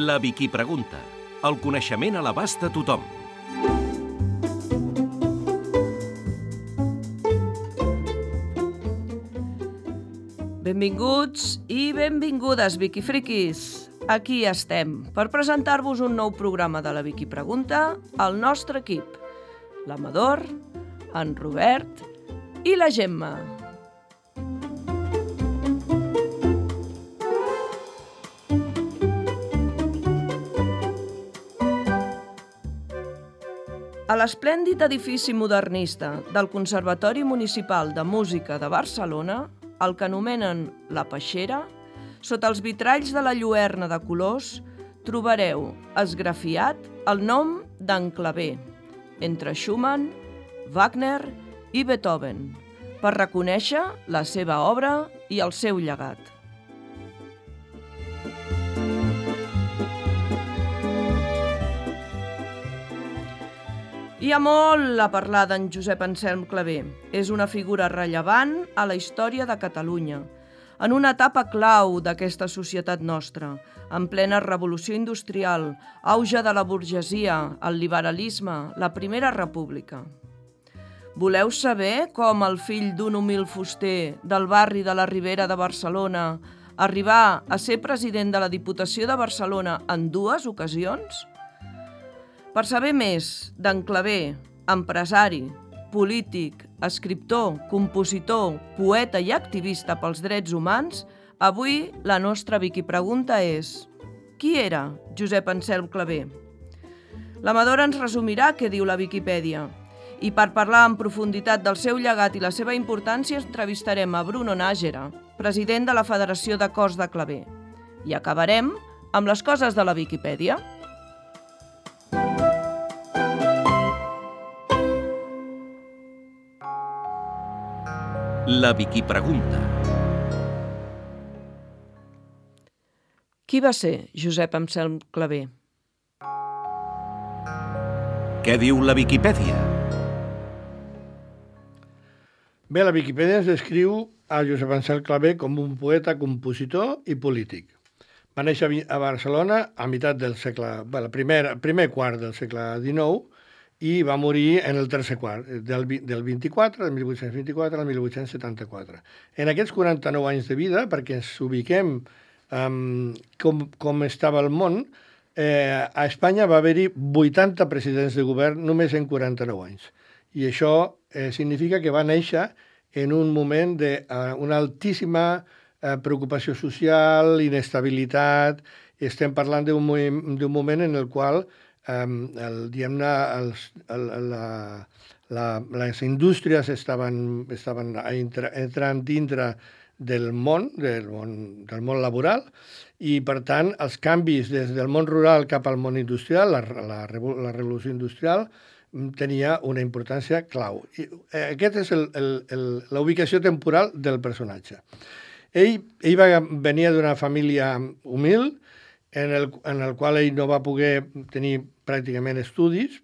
La Vicky Pregunta. El coneixement a l'abast de tothom. Benvinguts i benvingudes, Vicky Friquis. Aquí estem per presentar-vos un nou programa de la Vicky Pregunta al nostre equip. L'Amador, en Robert i la Gemma. A l'esplèndid edifici modernista del Conservatori Municipal de Música de Barcelona, el que anomenen La Peixera, sota els vitralls de la lluerna de colors, trobareu esgrafiat el nom d'en Clavé, entre Schumann, Wagner i Beethoven, per reconèixer la seva obra i el seu llegat. Hi ha molt a parlar d'en Josep Anselm Clavé. És una figura rellevant a la història de Catalunya, en una etapa clau d'aquesta societat nostra, en plena revolució industrial, auge de la burgesia, el liberalisme, la Primera República. Voleu saber com el fill d'un humil fuster del barri de la Ribera de Barcelona arribà a ser president de la Diputació de Barcelona en 2 ocasions? Per saber més d'en Clavé, empresari, polític, escriptor, compositor, poeta i activista pels drets humans, avui la nostra Vicky Pregunta és: qui era Josep Anselm Clavé? L'Amador ens resumirà què diu la Viquipèdia. I per parlar en profunditat del seu llegat i la seva importància entrevistarem a Bruno Nájera, president de la Federació de Cors de Clavé. I acabarem amb les coses de la Viquipèdia. La Vicky Pregunta. Qui va ser Josep Anselm Clavé? Què diu la Viquipèdia? Bé, la Viquipèdia ens descriu a Josep Anselm Clavé com un poeta, compositor i polític. Va néixer a Barcelona a meitat del segle, el primer quart del segle XIX, i va morir en el tercer quart, del 1824 al 1874. En aquests 49 anys de vida, perquè ens ubiquem com estava el món, a Espanya va haver-hi 80 presidents de govern només en 49 anys. I això significa que va néixer en un moment d'una altíssima preocupació social, inestabilitat. Estem parlant d'un moment en el qual les indústries estaven entrant dintre del món laboral, i per tant els canvis des del món rural cap al món industrial, la revolució industrial, tenia una importància clau. Aquesta és la ubicació temporal del personatge. Ell venia d'una família humil, en el qual ell no va poder tenir pràcticament estudis,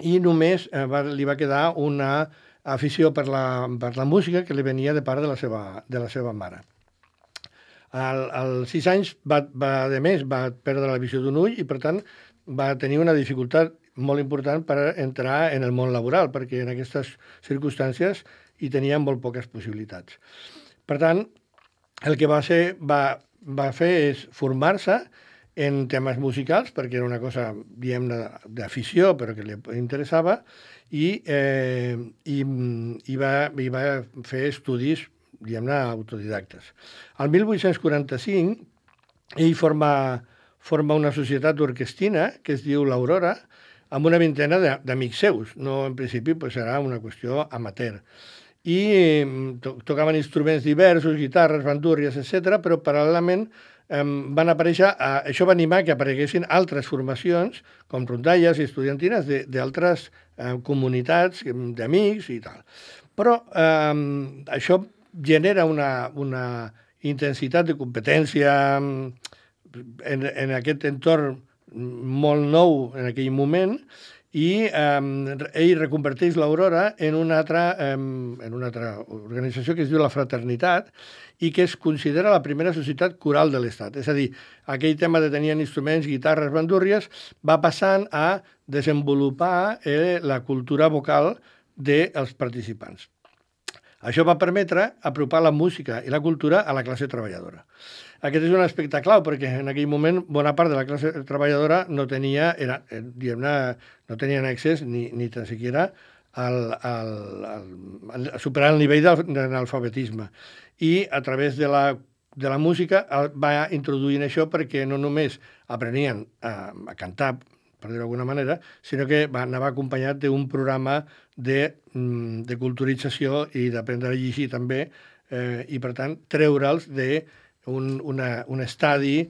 i només li va quedar una afició per la música que li venia de part de la seva mare. Als 6 anys va perdre la visió d'un ull i, per tant, va tenir una dificultat molt important per entrar en el món laboral, perquè en aquestes circumstàncies hi tenia molt poques possibilitats. Per tant, el que va fer és formar-se en temes musicals, perquè era una cosa, diguem-ne, d'afició, però que li interessava, i va fer estudis, diguem-ne, autodidactes. Al 1845, ell forma una societat orquestina que es diu l'Aurora, amb una vintena d'amics seus. No, en principi, serà una qüestió amateur. I tocaven instruments diversos, guitarres, bandúrries, etc., però paral·lelament van aparèixer, això va animar que apareguessin altres formacions, com rondalles i estudiantines d'altres comunitats d'amics i tal. Però això genera una intensitat de competència en aquest entorn molt nou en aquell moment, i ell reconverteix l'Aurora en una altra organització que es diu la Fraternitat i que es considera la primera societat coral de l'Estat. És a dir, aquell tema de tenir instruments, guitarres, bandúrries, va passant a desenvolupar la cultura vocal dels participants. Això va permetre apropar la música i la cultura a la classe treballadora. Aquest és un aspecte clau, perquè en aquell moment bona part de la classe treballadora no tenia, no tenien accés ni tan siquiera a superar el nivell d'analfabetisme. I a través de la música va introduint això perquè no només aprenien a cantar, per dir-ho d'alguna manera, sinó que anava acompanyat d'un programa de culturització i d'aprendre a llegir també, i per tant treure'ls d'un estadi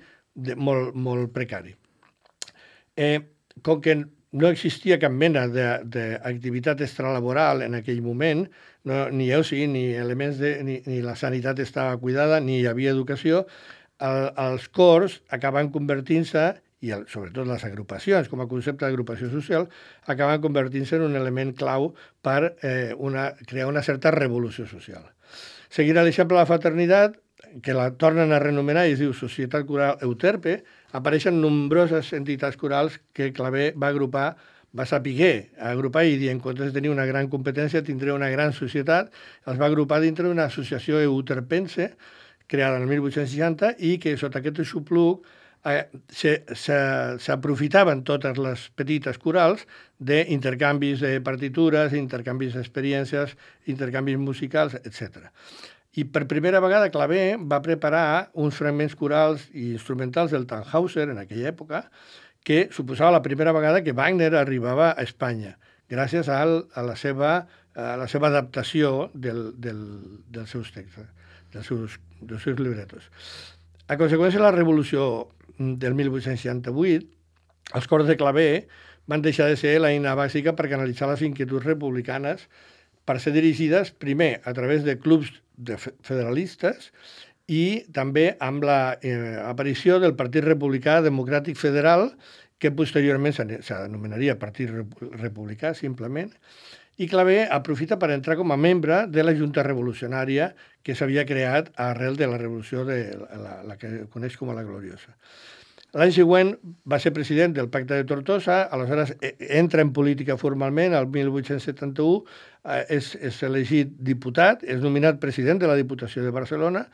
molt precari. Com que no existia cap mena d'activitat extralaboral en aquell moment, ni oci, ni elements ni la sanitat estava cuidada, ni hi havia educació, els cors acaben convertint-se, i sobretot les agrupacions, com a concepte d'agrupació social, acaben convertint-se en un element clau per crear una certa revolució social. Seguint l'exemple de la fraternitat, que la tornen a renomenar i es diu Societat Coral Euterpe, apareixen nombroses entitats corals que Clavé va saber agrupar i dir, en comptes de tenir una gran competència, tindré una gran societat, els va agrupar dintre d'una associació euterpense, creada el 1860, i que sota aquest aixopluc s'aprofitaven totes les petites corals d'intercanvis de partitures, intercanvis d'experiències, intercanvis musicals, etc. I per primera vegada Clavé va preparar uns fragments corals i instrumentals del Tannhäuser en aquella època, que suposava la primera vegada que Wagner arribava a Espanya, gràcies a la seva adaptació dels seus textos, dels seus libretos. A conseqüència de la revolució del 1868, els cors de Clavé van deixar de ser l'eina bàsica per canalitzar les inquietuds republicanes, per ser dirigides primer a través de clubs federalistes i també amb l'aparició del Partit Republicà Democràtic Federal, que posteriorment s'anomenaria Partit Republicà, simplement, i Clavé aprofita per entrar com a membre de la Junta Revolucionària que s'havia creat arrel de la revolució la que coneix com a la Gloriosa. L'any següent va ser president del Pacte de Tortosa, aleshores entra en política formalment, el 1871 és elegit diputat, és nominat president de la Diputació de Barcelona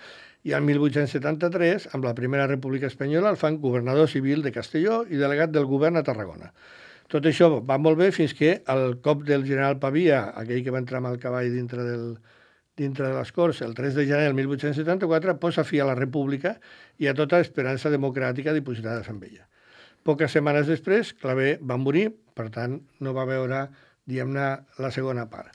i el 1873, amb la Primera República Espanyola, el fan governador civil de Castelló i delegat del govern a Tarragona. Tot això va molt bé fins que el cop del general Pavia, aquell que va entrar amb el cavall dintre de les Corts, el 3 de gener del 1874, posa fi a la República i a tota esperança democràtica dipositada en ella. Poques setmanes després, Clavé va morir, per tant, no va veure, diguem-ne, la segona part.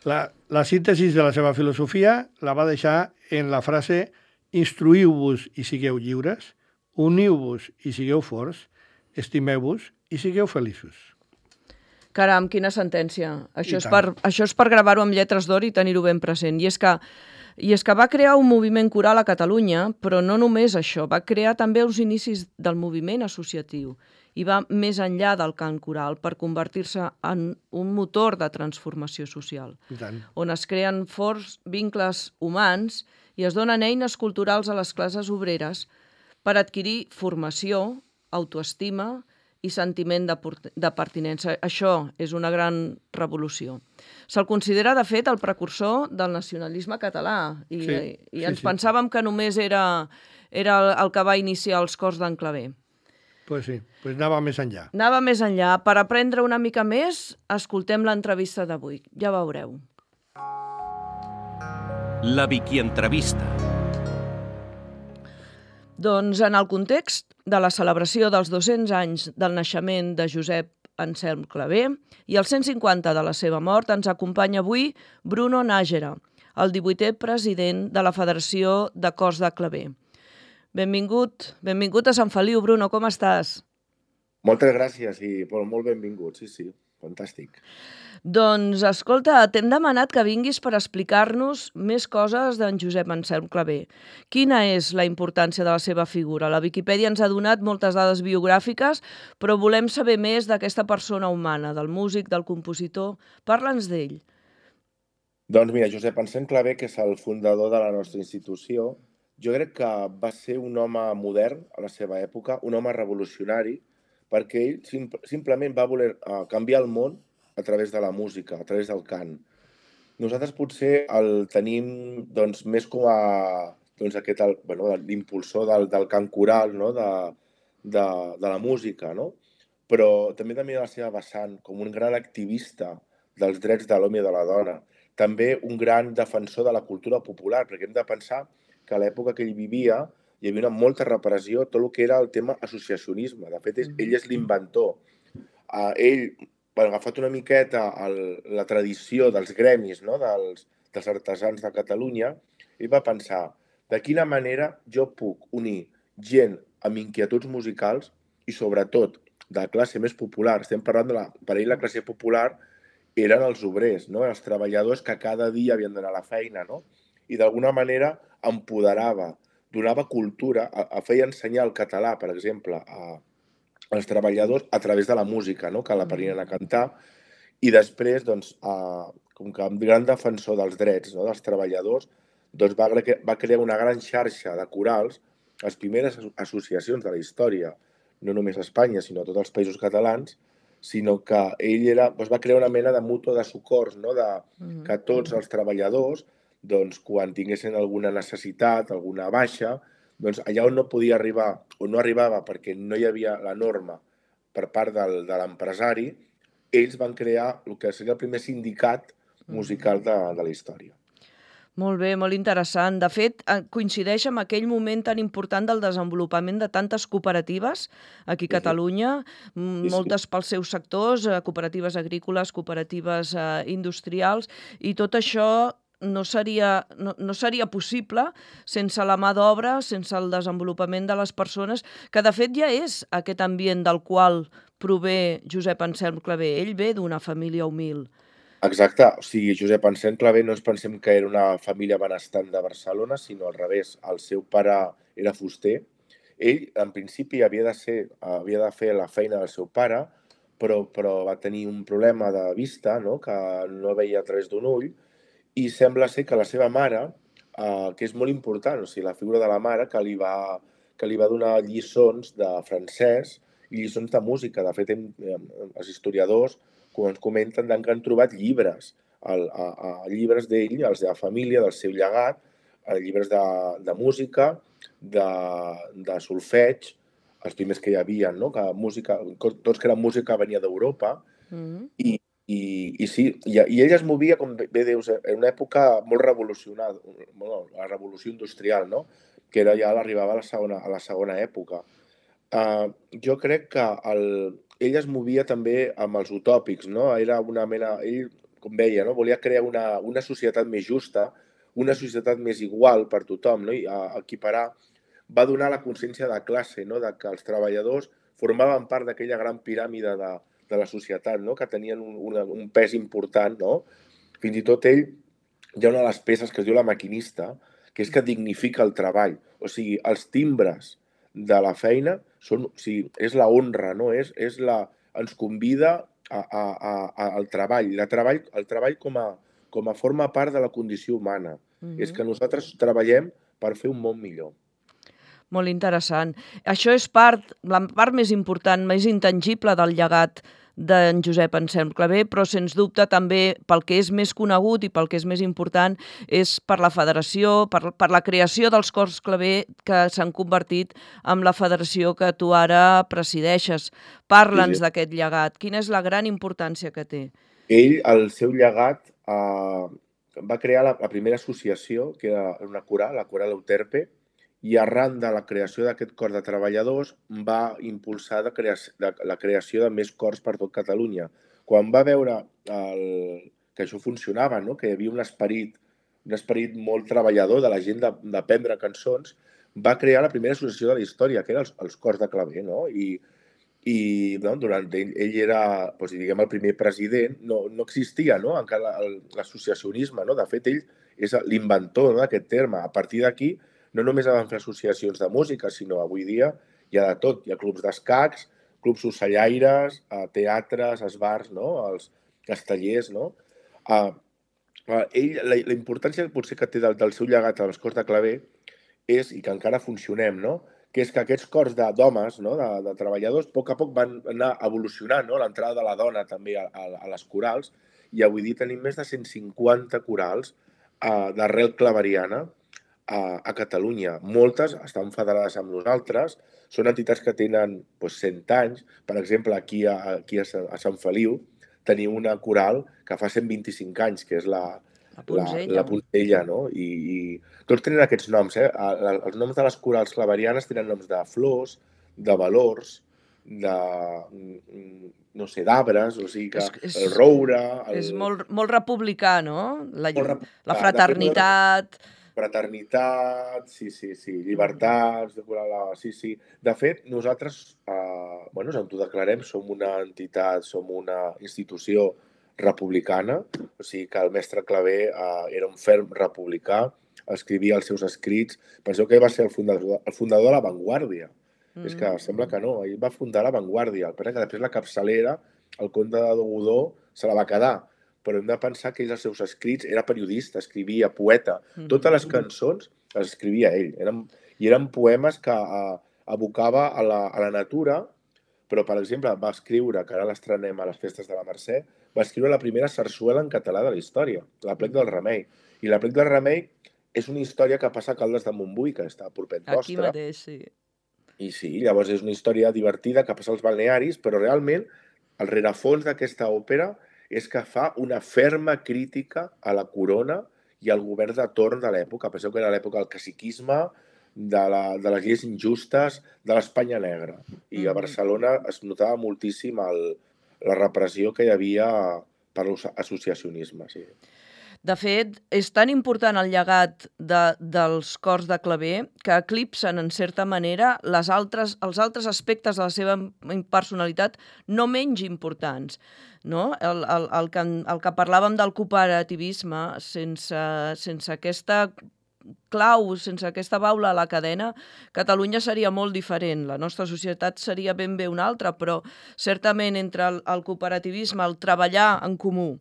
La síntesi de la seva filosofia la va deixar en la frase «Instruïu-vos i sigueu lliures, uniu-vos i sigueu forts, estimeu-vos i sigueu feliços». Caram, quina sentència. Això és per gravar-ho amb lletres d'or i tenir-ho ben present. I és que va crear un moviment coral a Catalunya, però no només això, va crear també els inicis del moviment associatiu i va més enllà del cant coral per convertir-se en un motor de transformació social, on es creen forts vincles humans i es donen eines culturals a les classes obreres per adquirir formació, autoestima i sentiment de pertinença. Això és una gran revolució. Se'l considera, de fet, el precursor del nacionalisme català i ens pensàvem que només era el que va iniciar els cors d'en Clavé. Pues sí, pues anava més enllà. Anava més enllà. Per aprendre una mica més, escoltem l'entrevista d'avui. Ja veureu. La Vicky Entrevista. Doncs en el context de la celebració dels 200 anys del naixement de Josep Anselm Clavé i els 150 de la seva mort, ens acompanya avui Bruno Nájera, el 18è president de la Federació de Cors de Clavé. Benvingut a Sant Feliu, Bruno, com estàs? Moltes gràcies i molt benvingut, sí. fantàstic. Doncs, escolta, t'hem demanat que vinguis per explicar-nos més coses d'en Josep Anselm Clavé. Quina és la importància de la seva figura? La Viquipèdia ens ha donat moltes dades biogràfiques, però volem saber més d'aquesta persona humana, del músic, del compositor. Parla'ns d'ell. Doncs mira, Josep Anselm Clavé, que és el fundador de la nostra institució, jo crec que va ser un home modern a la seva època, un home revolucionari, perquè ell simplement va voler canviar el món a través de la música, a través del cant. Nosaltres potser el tenim doncs, més com a l'impulsor del cant coral, no? de la música, no? Però també la seva vessant com un gran activista dels drets de l'home i de la dona, també un gran defensor de la cultura popular, perquè hem de pensar que a l'època que ell vivia hi havia molta repressió, tot el que era el tema associacionisme. De fet, ell és l'inventor. Ell ha agafat una miqueta la tradició dels gremis, no? dels artesans de Catalunya, i va pensar de quina manera jo puc unir gent amb inquietuds musicals i sobretot de classe més popular. Estem parlant per ell la classe popular eren els obrers, no? Els treballadors que cada dia havien d'anar a la feina, no? I d'alguna manera empoderava, donava cultura, feia ensenyar el català, per exemple, als treballadors a través de la música, no? Que l'aprenien a cantar, i després, doncs, com que un gran defensor dels drets, no? dels treballadors, doncs va crear una gran xarxa de corals, les primeres associacions de la història, no només a Espanya, sinó a tots els països catalans, sinó que ell va crear una mena de mútua de socors, no? Que tots els treballadors, doncs, quan tinguessin alguna necessitat, alguna baixa, doncs allà on no podia arribar, o no arribava perquè no hi havia la norma per part de l'empresari, ells van crear el que seria el primer sindicat musical de la història. Molt bé, molt interessant. De fet, coincideix amb aquell moment tan important del desenvolupament de tantes cooperatives aquí a Catalunya, moltes pels seus sectors, cooperatives agrícoles, cooperatives industrials, i tot això no seria possible sense la mà d'obra, sense el desenvolupament de les persones, que de fet ja és aquest ambient del qual prové Josep Anselm Clavé. Ell ve d'una família humil. Exacte, o sigui, Josep Anselm Clavé no ens pensem que era una família benestant de Barcelona, sinó al revés, el seu pare era fuster. Ell, en principi, havia de fer la feina del seu pare, però va tenir un problema de vista, no? Que no veia a través d'un ull, i sembla ser que la seva mare, que és molt important, o sigui, la figura de la mare, que li va donar lliçons de francès i lliçons de música. De fet, els historiadors quan ens comenten que han trobat llibres, llibres d'ell, els de la família, del seu llegat, llibres de música, de solfeig, els primers que hi havia, no? Que tots que eren música venia d'Europa, i sí, i ell es movia, com bé dius, en una època molt revolucionada, la revolució industrial, no? Que ja l'arribava a la segona època. Jo crec que ell es movia també amb els utòpics, no? Era una mena, ell, com veia, no? Volia crear una societat més justa, una societat més igual per tothom, no? I equiparar, va donar la consciència de classe, no? De que els treballadors formaven part d'aquella gran piràmide de la societat, no? Que tenien un pes important, no? Fins i tot ell, hi ha una de les peces que es diu La maquinista, que és que dignifica el treball. O sigui, els timbres de la feina és la honra, no? Ens convida al treball. El treball com a forma part de la condició humana. És que nosaltres treballem per fer un món millor. Molt interessant. Això és la part més important, més intangible del llegat d'en Josep Anselm Clavé, però sens dubte també pel que és més conegut i pel que és més important és per la federació, per la creació dels cors Clavé que s'han convertit en la federació que tu ara presideixes. Parla'ns d'aquest llegat. Quina és la gran importància que té? Ell, el seu llegat, va crear la primera associació, que era una coral, la Coral Euterpe, i arran de la creació d'aquest cor de treballadors va impulsar la creació de més cors per tot Catalunya. Quan va veure que això funcionava, no? Que hi havia un esperit molt treballador de la gent d'aprendre cançons, va crear la primera associació de la història, que eren els cors de Clavé, no? I i ell era, doncs, diguem, el primer president, no existia, no?, encara l'associacionisme, no? De fet, ell és l'inventor d'aquest terme. A partir d'aquí, no només van fer associacions de música, sinó avui dia hi ha de tot. Hi ha clubs d'escacs, clubs ocellaires, teatres, esbars, no?, els castellers, no? La importància potser que té del seu llegat a les Corts de Claver és, i que encara funcionem, no?, que és que aquests cors d'homes, no?, de treballadors, a poc van anar evolucionant, no?, l'entrada de la dona també a les corals, i avui dia tenim més de 150 corals d'arrel claveriana a Catalunya. Moltes estan federades amb nosaltres, són entitats que tenen 100 anys. Per exemple, aquí a Sant Feliu tenim una coral que fa 125 anys, que és la Poncella, no? I tots tenen aquests noms, eh? Els noms de les corals claverianes tenen noms de flors, de valors, de, no sé, d'arbres, o sigui que el roure... És molt republicà, no? La fraternitat... Fraternitat, sí, llibertats, sí. De fet, nosaltres ens autodeclarem, som una entitat, som una institució republicana, o sigui que el mestre Claver era un ferm republicà, escrivia els seus escrits. Penseu que ell va ser el fundador de La Vanguardia. És que sembla que no, ell va fundar La Vanguardia. El que després la capçalera, el conde de Godó, se la va quedar. Però hem de pensar que ell, els seus escrits, era periodista, escrivia, poeta. Totes les cançons les escrivia ell. Eren poemes que abocava a la natura, però, per exemple, va escriure, que ara l'estrenem a les festes de la Mercè, va escriure la primera sarsuela en català de la història, l'Aplec del Remei. I l'Aplec del Remei és una història que passa a Caldes de Montbui, que està a propet vostre. Aquí mateix, sí. I sí, llavors és una història divertida que passa als balnearis, però realment el rerefons d'aquesta òpera és que fa una ferma crítica a la corona i al govern de torn de l'època. Penseu que era l'època del caciquisme, de les lleis injustes, de l'Espanya negra. I a Barcelona es notava moltíssim la repressió que hi havia per l'associacionisme. Sí. De fet, és tan important el llegat dels cors de Claver que eclipsen, en certa manera, els altres aspectes de la seva personalitat no menys importants. No? El que parlàvem del cooperativisme, sense aquesta clau, sense aquesta baula a la cadena, Catalunya seria molt diferent. La nostra societat seria ben bé una altra, però certament entre el cooperativisme, el treballar en comú,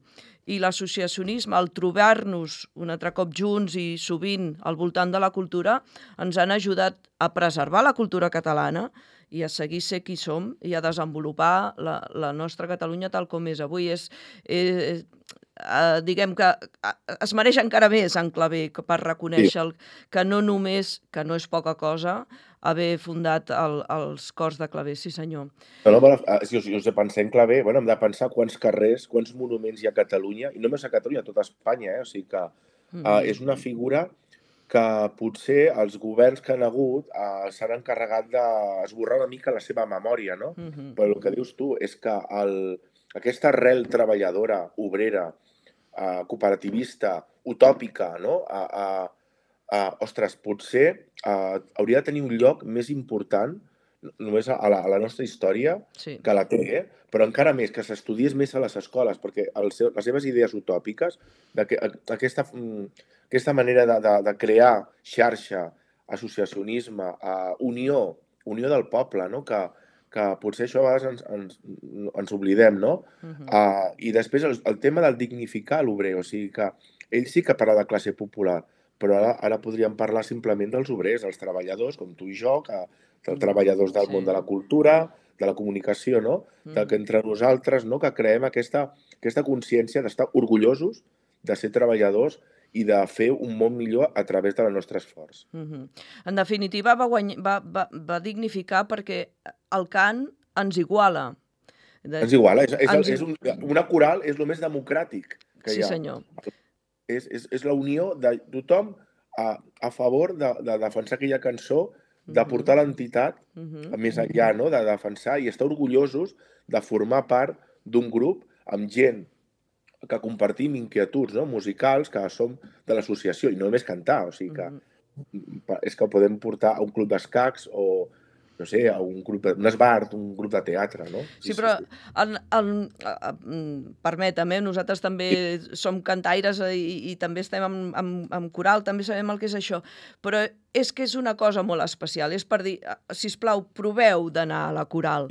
i l'associacionisme, el trobar-nos un altre cop junts i sovint al voltant de la cultura, ens han ajudat a preservar la cultura catalana i a seguir ser qui som i a desenvolupar la nostra Catalunya tal com és avui. Diguem que es mereix encara més en Claver per reconèixer que no només, que no és poca cosa, haver fundat els cors de Claver, sí senyor. Si us pensem Claver, hem de pensar quants carrers, quants monuments hi ha a Catalunya, i no només a Catalunya, a tota Espanya, o sigui que és una figura que potser els governs que han hagut s'han encarregat d'esborrar una mica la seva memòria, no? Però el que dius tu és que aquesta arrel treballadora, obrera, cooperativista, utòpica, no? Ostres, potser hauria de tenir un lloc més important només a la nostra història, que la té, però encara més, que s'estudiés més a les escoles, perquè les seves idees utòpiques, aquesta manera de crear xarxa, associacionisme, unió del poble, no? Que potser això a vegades ens oblidem, no? I després el tema del dignificar l'obrer, o sigui que ell sí que parla de classe popular, però ara podríem parlar simplement dels obrers, els treballadors, com tu i jo, els treballadors del món de la cultura, de la comunicació, no? Que entre nosaltres, no? Que creem aquesta consciència d'estar orgullosos de ser treballadors i de fer un món millor a través del nostre esforç. En definitiva, va dignificar perquè el cant ens iguala. Ens iguala. Una coral és el més democràtic que hi ha. Sí, senyor. És la unió de tothom a favor de defensar aquella cançó, de portar l'entitat més enllà, no? De defensar i estar orgullosos de formar part d'un grup amb gent que compartim inquietuds musicals, que som de l'associació, i no només cantar, o sigui que és que podem portar a un club d'escacs o no sé, un esbart, un grup de teatre, no? Sí, però permetem, nosaltres també som cantaires i també estem amb coral, també sabem el que és això, però és que és una cosa molt especial, és per dir, sisplau, proveu d'anar a la coral,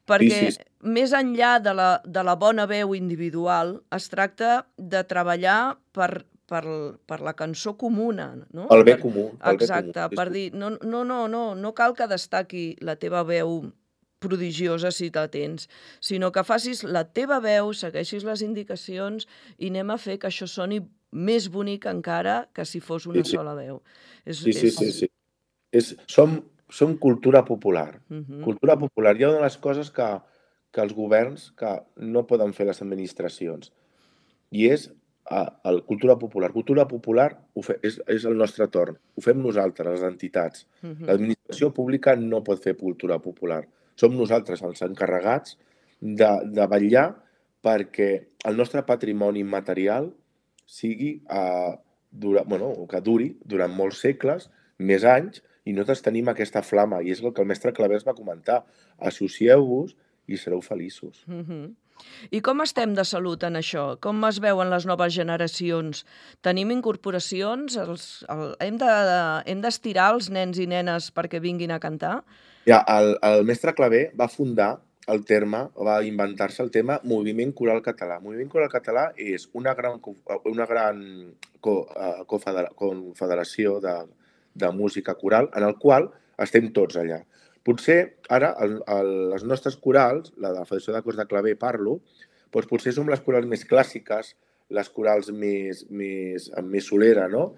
perquè més enllà de la bona veu individual es tracta de treballar per la cançó comuna, no? El bé comú. Exacte, per dir, no cal que destaqui la teva veu prodigiosa si la tens, sinó que facis la teva veu, segueixis les indicacions i anem a fer que això soni més bonic encara que si fos una sola veu. Sí. Som cultura popular. Cultura popular. Hi ha una de les coses que els governs que no poden fer les administracions i és cultura popular. Cultura popular és el nostre torn. Ho fem nosaltres, les entitats. L'administració pública no pot fer cultura popular. Som nosaltres els encarregats de vetllar perquè el nostre patrimoni immaterial sigui que duri durant molts segles, més anys, i nosaltres tenim aquesta flama, i és el que el mestre Claver va comentar. Associeu-vos i sereu feliços. I com estem de salut en això? Com es veuen les noves generacions? Tenim incorporacions? Hem d'estirar els nens i nenes perquè vinguin a cantar? Ja, el mestre Claver va fundar el terme, va inventar-se el tema Moviment Coral Català. Moviment Coral Català és una gran confederació de música coral en el qual estem tots allà. Potser ara les nostres corals, la de la Federació de Cors de Claver parlo, doncs potser som les corals més clàssiques, les corals més solera, no?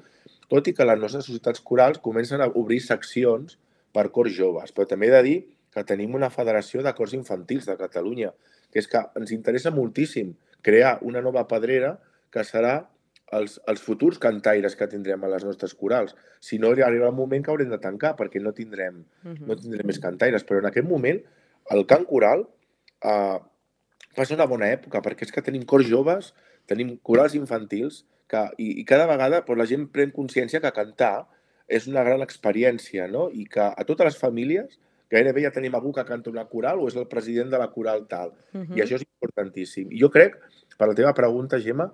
Tot i que les nostres societats corals comencen a obrir seccions per cors joves, però també he de dir que tenim una federació de cors infantils de Catalunya, que és que ens interessa moltíssim crear una nova pedrera que serà els futurs cantaires que tindrem a les nostres corals. Si no, arribarà el moment que haurem de tancar, perquè no tindrem més cantaires. Però en aquest moment, el cant coral passa una bona època, perquè és que tenim cors joves, tenim corals infantils, i cada vegada la gent pren consciència que cantar és una gran experiència, no? I que a totes les famílies gairebé ja tenim algú que canta una coral o és el president de la coral tal. I això és importantíssim. I jo crec, per la teva pregunta, Gemma,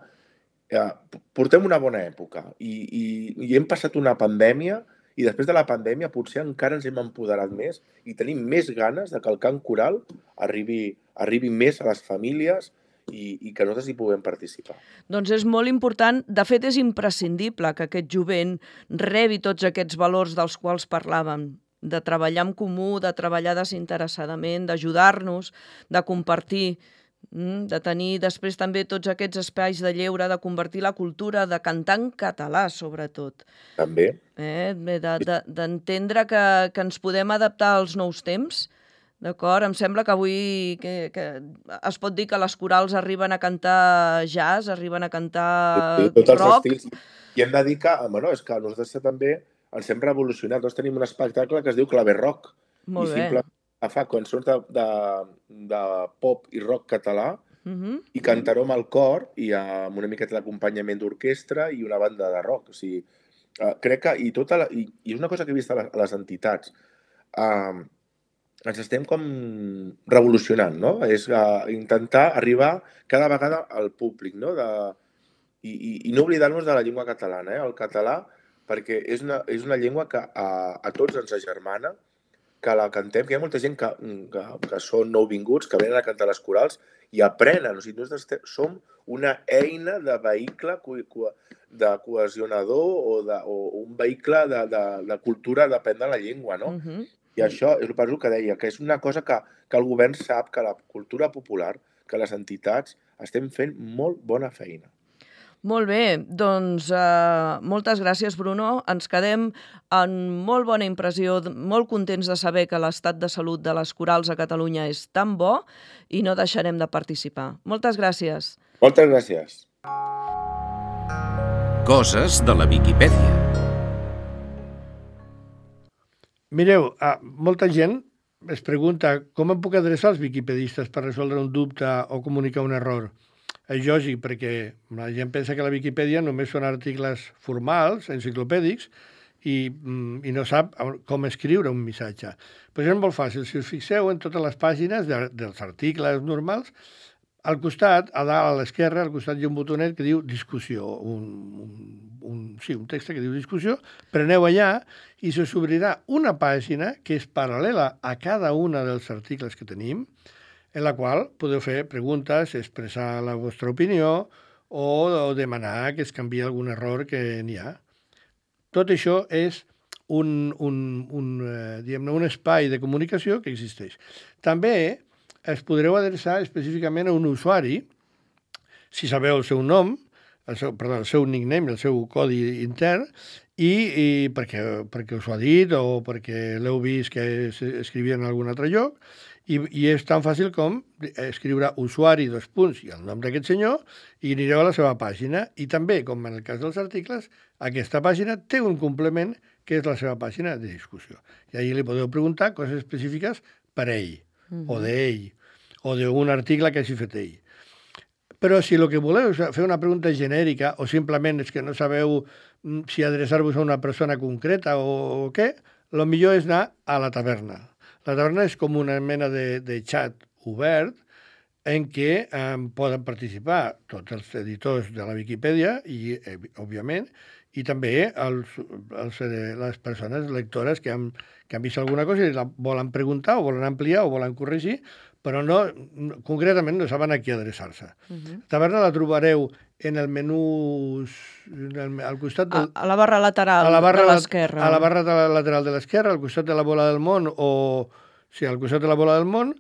portem una bona època i hem passat una pandèmia i després de la pandèmia potser encara ens hem empoderat més i tenim més ganes de que el cant coral arribi més a les famílies i que nosaltres hi puguem participar. Doncs és molt important, de fet és imprescindible que aquest jovent rebi tots aquests valors dels quals parlàvem, de treballar en comú, de treballar desinteressadament, d'ajudar-nos, de compartir, de tenir després també tots aquests espais de lleure, de convertir la cultura, de cantar en català, sobretot. També. D'entendre que ens podem adaptar als nous temps, d'acord? Em sembla que avui es pot dir que les corals arriben a cantar jazz, arriben a cantar rock. Tots els estils. I hem de dir que, és que nosaltres també ens hem revolucionat. Nosaltres tenim un espectacle que es diu Claver Rock. Molt bé. Fa cançons de pop i rock català i cantaró amb el cor i amb una miqueta d'acompanyament d'orquestra i una banda de rock. O sigui, crec que... I és una cosa que he vist a les entitats. Ens estem com revolucionant, no? És intentar arribar cada vegada al públic, no? I no oblidar-nos de la llengua catalana, el català, perquè és una llengua que a tots ens agermana, que la cantem, que hi ha molta gent que són nouvinguts, que venen a cantar les corals i aprenen. O sigui, nosaltres som una eina de vehicle de cohesionador o un vehicle de cultura d'aprendre la llengua, no? I això és el que deia, que és una cosa que el govern sap, que la cultura popular, que les entitats estem fent molt bona feina. Molt bé, doncs moltes gràcies, Bruno. Ens quedem amb molt bona impressió, molt contents de saber que l'estat de salut de les corals a Catalunya és tan bo i no deixarem de participar. Moltes gràcies. Moltes gràcies. Coses de la Viquipèdia. Mireu, molta gent es pregunta com em puc adreçar als viquipedistes per resoldre un dubte o comunicar un error. És lògic, perquè la gent pensa que la Viquipèdia només són articles formals, enciclopèdics, i no sap com escriure un missatge. Però és molt fàcil. Si us fixeu en totes les pàgines dels articles normals, al costat, a dalt a l'esquerra, al costat hi ha un botonet que diu discussió, un text que diu discussió, preneu allà i se us obrirà una pàgina que és paral·lela a cada una dels articles que tenim, en la qual podeu fer preguntes, expressar la vostra opinió o demanar que es canviï algun error que n'hi ha. Tot això és un espai de comunicació que existeix. També es podreu adreçar específicament a un usuari, si sabeu el seu nom, el seu nickname, el seu codi intern, i perquè us ho ha dit o perquè l'heu vist que escrivia en algun altre lloc, i és tan fàcil com escriure usuari, i el nom d'aquest senyor, i anireu a la seva pàgina. I també, com en el cas dels articles, aquesta pàgina té un complement que és la seva pàgina de discussió. I allà li podeu preguntar coses específiques per ell, o d'ell, o d'un article que hagi fet ell. Però si el que voleu és fer una pregunta genèrica o simplement és que no sabeu si adreçar-vos a una persona concreta o què, el millor és anar a la taverna. La taverna és com una mena de xat obert en què poden participar tots els editors de la Viquipèdia i, òbviament, i també les persones lectores que han vist alguna cosa i la volen preguntar o volen ampliar o volen corregir, però concretament no saben a qui adreçar-se. La taverna la trobareu en el menú al costat a la barra lateral de l'esquerra. A la barra lateral de l'esquerra, al costat de la bola del món, al costat de la bola del món,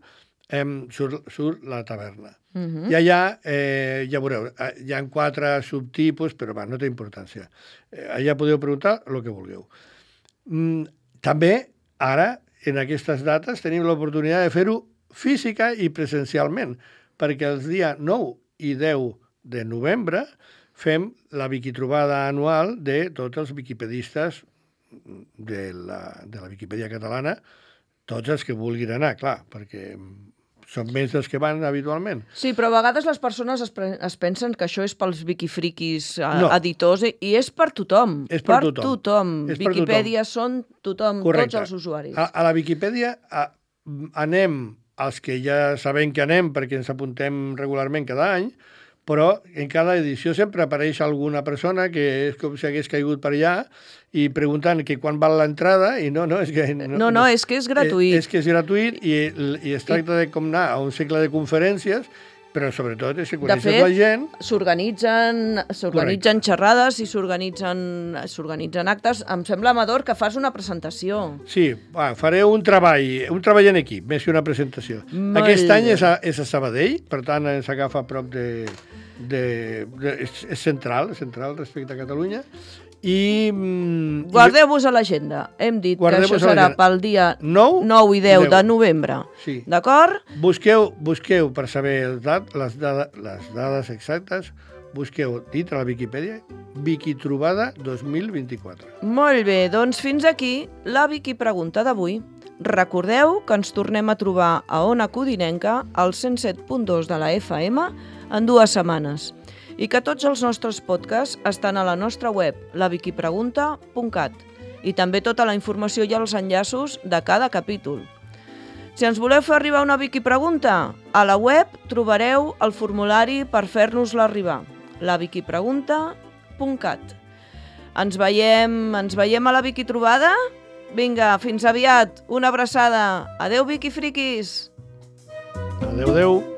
surt la taverna. I allà, ja veureu, hi ha 4 subtipus, però no té importància. Allà podeu preguntar el que vulgueu. També, ara, en aquestes dates, tenim l'oportunitat de fer-ho física i presencialment, perquè els dies 9 i 10 de novembre fem la Viquitrobada anual de tots els viquipedistes de la Viquipèdia catalana, tots els que vulguin anar, clar, perquè són més dels que van habitualment. Sí, però a vegades les persones es pensen que això és pels viquifriquis editors i és per tothom. És per tothom. Viquipèdia són tothom, tots els usuaris. A la Viquipèdia anem els que ja sabem que anem perquè ens apuntem regularment cada any, però en cada edició sempre apareix alguna persona que és com si hagués caigut per allà i preguntant que quan val l'entrada i és que... és que és gratuït. És que és gratuït i es tracta de com anar a un cicle de conferències, però sobretot és que coneixes la gent... S'organitzen xerrades i s'organitzen actes. Em sembla, Amador, que fas una presentació. Sí, faré un treball en equip, més que una presentació. Aquest any és a Sabadell, per tant ens agafa a prop és central respecte a Catalunya. Guardeu-vos a l'agenda. Hem dit que això serà pel dia 9 i 10 de novembre. Sí. D'acord? Busqueu per saber les dades exactes, busqueu dit a la Viquipèdia Viquitrobada 2024. Molt bé, doncs fins aquí la Viquipregunta d'avui. Recordeu que ens tornem a trobar a Ona Codinenca al 107.2 de la FM en 2 setmanes. I que tots els nostres podcasts estan a la nostra web, laviquipregunta.cat, i també tota la informació i els enllaços de cada capítol. Si ens voleu fer arribar una Viquipregunta, a la web trobareu el formulari per fer-nos-la arribar, laviquipregunta.cat. Ens veiem a la Viquitrobada? Vinga, fins aviat, una abraçada. Adeu, Viquifriquis! Adeu.